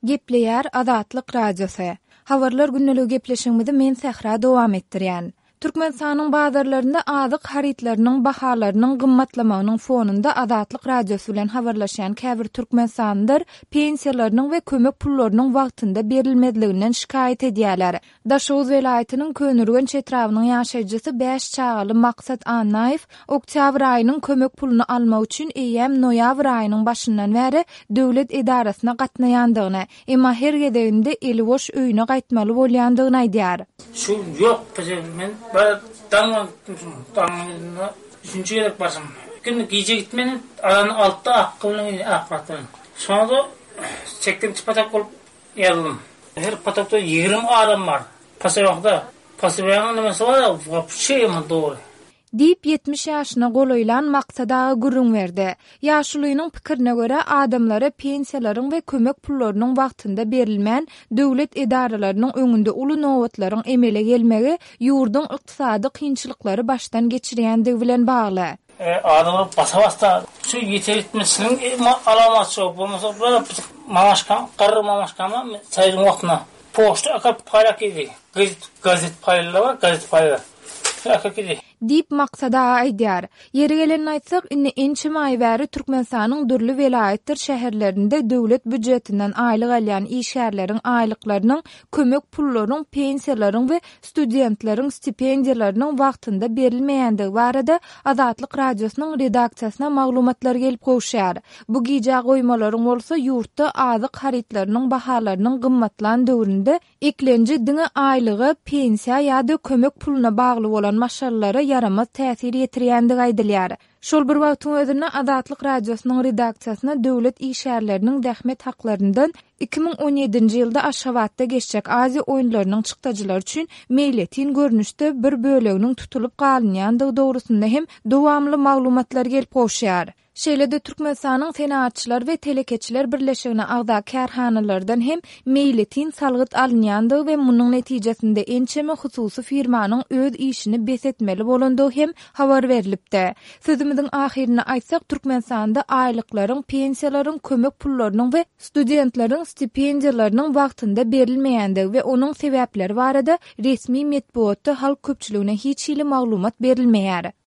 Gepleýär Azatlyk Radiosy. Habarlar gündeligi gepleşigimizi men Sähra dowam etdirýän. Türkmenistanyň bazarlarynda azyk harytlarynyň bahalarynyň gymmatlamagynyň fonunda Azatlyk Radiosy bilen habarlaşýan käbir türkmenistanlylar pensiýalarynyň we kömek pullarynyň wagtynda berilmezliginden şikaýat edýärler. Daşoguz welaýatynyň Köneürgenç etrabynyň ýaşaýjysy bäş çagaly Maksat Annaýew oktýabr aýynyň kömek puluny almak üçin eýýäm noýabr aýynyň başyndan bäri döwlet edarasyna gatnaýandygyny, emma her gezeginde eli boş öýüne gaýtmaly bolýandygyny aýdýar. Şu ýok bize men bir daň gitdim şu daň üçünji gezek barşym. Indi gije gitmedim azan altda akga bilen gitdim akmyrat bilen. Şonda çekdim patak bolup Ýazdym. Her potokda 20 adam bar. Poselokda. Poselonyň nimesi bar-a, wapşe ýaman dogry. Diýip, 70 ýaşyna golaýlan Maksat aga gürrüň berdi. Ýaşulynyň pikirine görä, adamlara pensiýalaryň we kömek pullarynyň wagtynda berilmän, döwlet edaralarynyň öňünde uly nobatlaryň emele gelmegi ýurduň ykdysady kynçylyklary başdan geçirýändigi bilen bagly. Adamlar basa basda şu ýeter ýetmezçiligiň alamaty şo bolmasa bir mamaşka garry mamaşkama çaýyň wagtynda poçta akap paýlap geldi gazet gazet paýlar bar gazet paýlar şo akap geldi. Diýip, Maksat aga aýdýar. Ýeri gelende aýtsak, indi ençeme aý bäri Türkmenistanyň dürli welaýatdyr şäherlerinde döwlet býujetinden aýlyk alýan işgärleriň aýlyklarynyň, kömek pullaryň, pensiýalaryň we studentleriň stipendiýalarynyň wagtynda berilmeýändigi barada Azatlyk Radiosynyň redaksiýasyna maglumatlar gelip gowuşýar. Bu gijä goýmalaryň bolsa ýurtda azyk harytlarynyň bahalarynyň gymmatlan döwründe eklenji diňe aýlyga, pensiýa ýa-da kömek puluna bagly bolan maşgalalara ýaramaz täsir ýetirýändigi aýdylýar. Şol bir wagtyň özünde Azatlyk Radiosynyň redaksiýasyna döwlet işgärleriniň zähmet haklaryndan 2017-nji ýylda Aşgabatda geçjek Aziýa oýunlarynyň çykdajylary üçin meýletin görnüşde bir böleginiň tutulyp galynýandygy dogrusynda hem dowamly maglumatlar gelip gowuşýar. Şeýle-de Türkmenistanyň Senagatçylar we telekeçiler birleşigine agza kärhanalardan hem meýletin salgyt alynýandygy we munuň netijesinde ençeme hususy firmanyň öz işini bes etmeli bolandygy hem habar berlipdi. Sözümiziň ahyrynda aýtsak, Türkmenistanda aýlyklaryň, pensiýalaryň, kömek pullarynyň we studentleriň stipendiýalarynyň wagtynda berilmeýändigi we onuň sebäpleri barada resmi metbugatda halk köpçüligine hiç hili maglumat berilmeýär.